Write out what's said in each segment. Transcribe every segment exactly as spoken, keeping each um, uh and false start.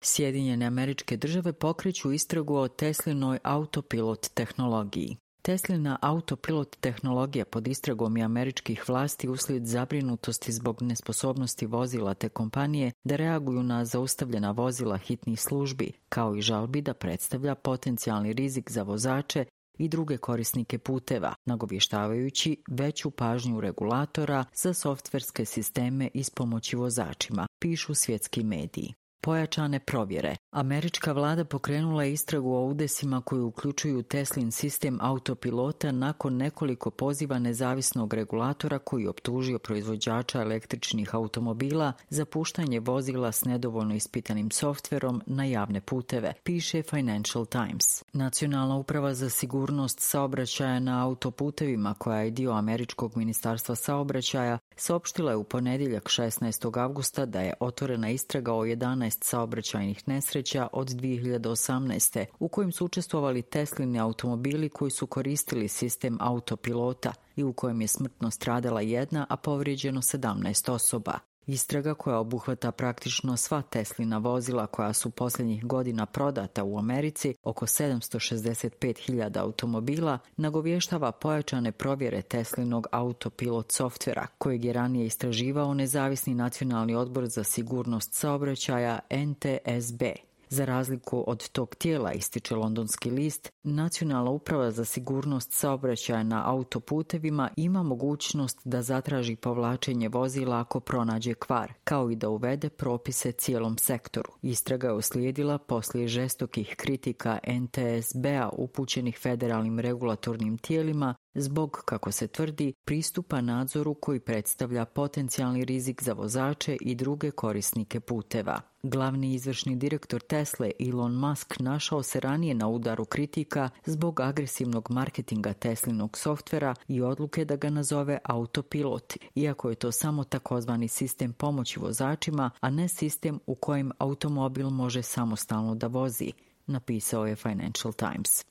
Sjedinjene Američke Države pokreću istragu o Teslinoj autopilot tehnologiji. Teslina autopilot tehnologija pod istragom je američkih vlasti uslijed zabrinutosti zbog nesposobnosti vozila te kompanije da reaguju na zaustavljena vozila hitnih službi, kao i žalbi da predstavlja potencijalni rizik za vozače i druge korisnike puteva, nagovještavajući veću pažnju regulatora za softverske sisteme ispomoći vozačima, pišu svjetski mediji. Pojačane provjere. Američka vlada pokrenula je istragu o udesima koji uključuju Teslin sistem autopilota nakon nekoliko poziva nezavisnog regulatora koji optužio proizvođača električnih automobila za puštanje vozila s nedovoljno ispitanim softverom na javne puteve, piše Financial Times. Nacionalna uprava za sigurnost saobraćaja na autoputevima, koja je dio američkog ministarstva saobraćaja, saopštila je u ponedjeljak šesnaestog avgusta da je otvorena istraga o jedanaest saobraćajnih nesreća od dvije hiljade osamnaeste. u kojim su učestvovali Teslini automobili koji su koristili sistem autopilota i u kojem je smrtno stradala jedna, a povrijeđeno sedamnaest osoba. Istraga, koja obuhvata praktično sva Teslina vozila koja su posljednjih godina prodata u Americi, oko sedamsto šezdeset pet hiljada automobila, nagovještava pojačane provjere Teslinog autopilot softvera, kojeg je ranije istraživao nezavisni nacionalni odbor za sigurnost saobraćaja N T S B. Za razliku od tog tijela, ističe londonski list, Nacionalna uprava za sigurnost saobraćaja na autoputevima ima mogućnost da zatraži povlačenje vozila ako pronađe kvar, kao i da uvede propise cijelom sektoru. Istraga je uslijedila poslije žestokih kritika N T S B-a upućenih federalnim regulatornim tijelima zbog, kako se tvrdi, pristupa nadzoru koji predstavlja potencijalni rizik za vozače i druge korisnike puteva. Glavni izvršni direktor Tesle, Elon Musk, našao se ranije na udaru kritika zbog agresivnog marketinga Teslinog softvera i odluke da ga nazove autopilot, iako je to samo takozvani sistem pomoći vozačima, a ne sistem u kojem automobil može samostalno da vozi, napisao je Financial Times.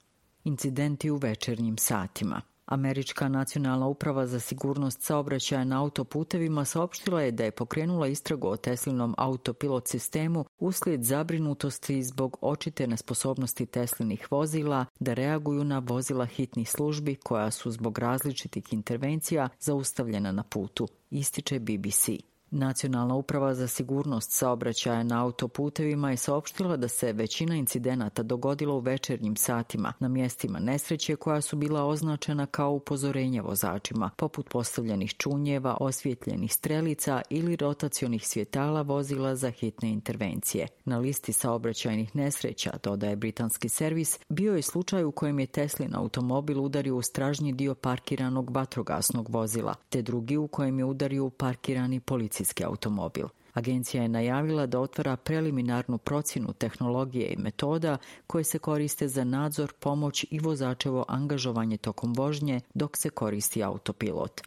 Incidenti u večernjim satima. Američka nacionalna uprava za sigurnost saobraćaja na autoputevima saopštila je da je pokrenula istragu o Teslinom autopilot sistemu uslijed zabrinutosti zbog očite nesposobnosti Teslinih vozila da reaguju na vozila hitnih službi koja su zbog različitih intervencija zaustavljena na putu, ističe B B C. Nacionalna uprava za sigurnost saobraćaja na autoputevima je saopštila da se većina incidenata dogodila u večernjim satima na mjestima nesreće koja su bila označena kao upozorenje vozačima, poput postavljenih čunjeva, osvjetljenih strelica ili rotacionih svjetala vozila za hitne intervencije. Na listi saobraćajnih nesreća, dodaje britanski servis, bio je slučaj u kojem je Teslin automobil udario u stražnji dio parkiranog vatrogasnog vozila, te drugi u kojem je udario u parkirani policijski automobil. Agencija je najavila da otvara preliminarnu procjenu tehnologije i metoda koje se koriste za nadzor, pomoć i vozačevo angažovanje tokom vožnje dok se koristi autopilot.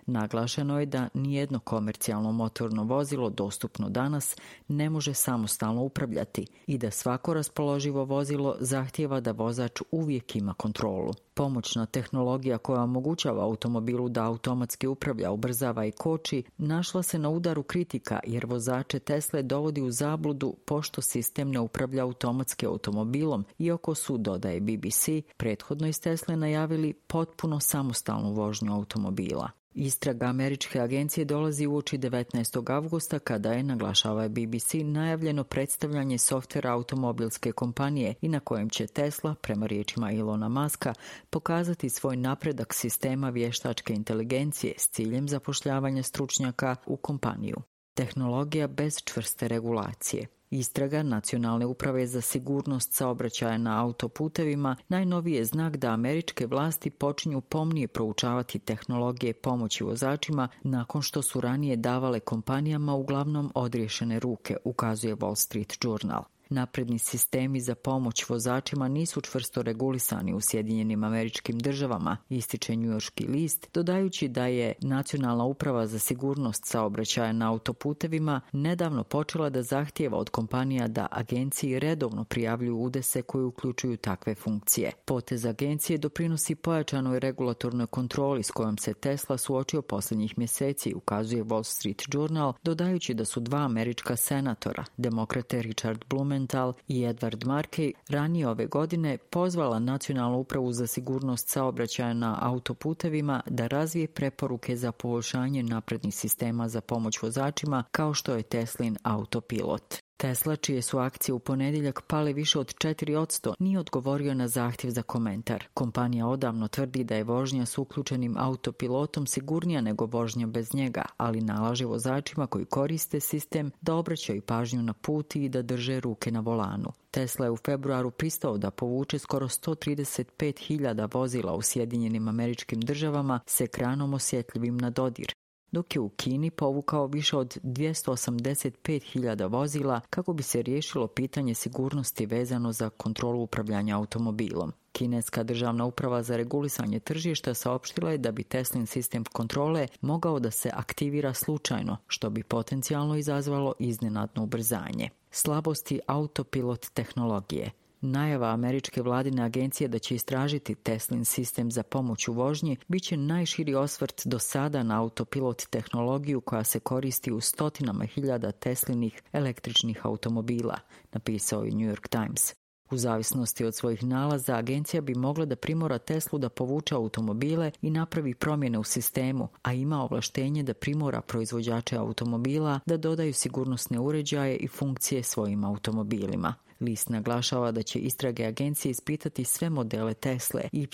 Naglašeno je da nijedno komercijalno motorno vozilo dostupno danas ne može samostalno upravljati i da svako raspoloživo vozilo zahtijeva da vozač uvijek ima kontrolu. Pomoćna tehnologija koja omogućava automobilu da automatski upravlja, ubrzava i koči, našla se na udaru kritika jer vozače Tesle dovodi u zabludu pošto sistem ne upravlja automatski automobilom, iako su, dodaje B B C, prethodno iz Tesle najavili potpuno samostalnu vožnju automobila. Istraga američke agencije dolazi uoči devetnaestog avgusta kada je, naglašava B B C, najavljeno predstavljanje softvera automobilske kompanije i na kojem će Tesla, prema riječima Elona Muska, pokazati svoj napredak sistema vještačke inteligencije s ciljem zapošljavanja stručnjaka u kompaniju. Tehnologija bez čvrste regulacije. Istraga Nacionalne uprave za sigurnost saobraćaja na autoputevima najnoviji je znak da američke vlasti počinju pomnije proučavati tehnologije pomoći vozačima nakon što su ranije davale kompanijama uglavnom odriješene ruke, ukazuje Wall Street Journal. Napredni sistemi za pomoć vozačima nisu čvrsto regulisani u Sjedinjenim Američkim Državama, ističe njujorški list, dodajući da je Nacionalna uprava za sigurnost saobraćaja na autoputevima nedavno počela da zahtijeva od kompanija da agenciji redovno prijavljuju udese koji uključuju takve funkcije. Potez agencije doprinosi pojačanoj regulatornoj kontroli s kojom se Tesla suočio posljednjih mjeseci, ukazuje Wall Street Journal, dodajući da su dva američka senatora, demokrate Richard Blumenthal Blumenthal i Edward Markey ranije ove godine pozvala Nacionalnu upravu za sigurnost saobraćaja na autoputevima da razvije preporuke za poboljšanje naprednih sistema za pomoć vozačima kao što je Teslin autopilot. Tesla, čije su akcije u ponedjeljak pale više od četiri posto, nije odgovorio na zahtjev za komentar. Kompanija odavno tvrdi da je vožnja s uključenim autopilotom sigurnija nego vožnja bez njega, ali nalaže vozačima koji koriste sistem da obraćaju pažnju na put i da drže ruke na volanu. Tesla je u februaru pristao da povuče skoro sto trideset pet hiljada vozila u Sjedinjenim Američkim Državama s ekranom osjetljivim na dodir, dok je u Kini povukao više od dvjesto osamdeset pet hiljada vozila kako bi se riješilo pitanje sigurnosti vezano za kontrolu upravljanja automobilom. Kineska državna uprava za regulisanje tržišta saopštila je da bi Teslin sistem kontrole mogao da se aktivira slučajno, što bi potencijalno izazvalo iznenadno ubrzanje. Slabosti autopilot tehnologije. Najava američke vladine agencije da će istražiti Teslin sistem za pomoć u vožnji bit će najširi osvrt do sada na autopilot tehnologiju koja se koristi u stotinama hiljada Teslinih električnih automobila, napisao je New York Times. U zavisnosti od svojih nalaza, agencija bi mogla da primora Teslu da povuče automobile i napravi promjene u sistemu, a ima ovlaštenje da primora proizvođače automobila da dodaju sigurnosne uređaje i funkcije svojim automobilima. List naglašava da će istrage agencije ispitati sve modele Tesle Y,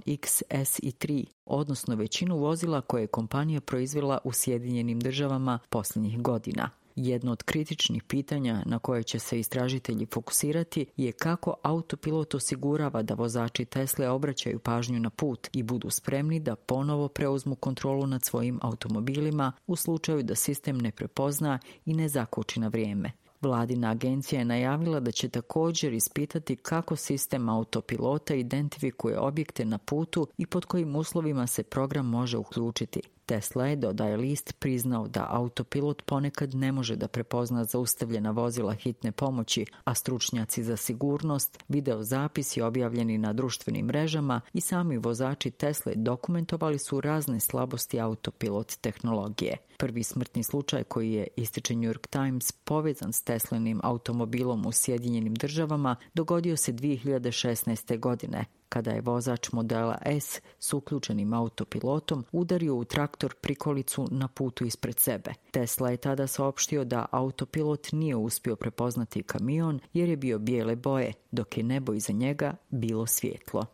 X, S i tri, odnosno većinu vozila koje je kompanija proizvela u Sjedinjenim Državama posljednjih godina. Jedno od kritičnih pitanja na koje će se istražitelji fokusirati je kako autopilot osigurava da vozači Tesle obraćaju pažnju na put i budu spremni da ponovo preuzmu kontrolu nad svojim automobilima u slučaju da sistem ne prepozna i ne zakoči na vrijeme. Vladina agencija je najavila da će također ispitati kako sistem autopilota identifikuje objekte na putu i pod kojim uslovima se program može uključiti. Tesla je, dodaje list, priznao da autopilot ponekad ne može da prepozna zaustavljena vozila hitne pomoći, a stručnjaci za sigurnost, videozapisi objavljeni na društvenim mrežama i sami vozači Tesle dokumentovali su razne slabosti autopilot tehnologije. Prvi smrtni slučaj koji je, ističe New York Times, povezan s Teslinim automobilom u Sjedinjenim Državama dogodio se dvije hiljade šesnaeste. godine, kada je vozač modela S s uključenim autopilotom udario u traktor prikolicu na putu ispred sebe. Tesla je tada saopštio da autopilot nije uspio prepoznati kamion jer je bio bijele boje, dok je nebo iza njega bilo svjetlo.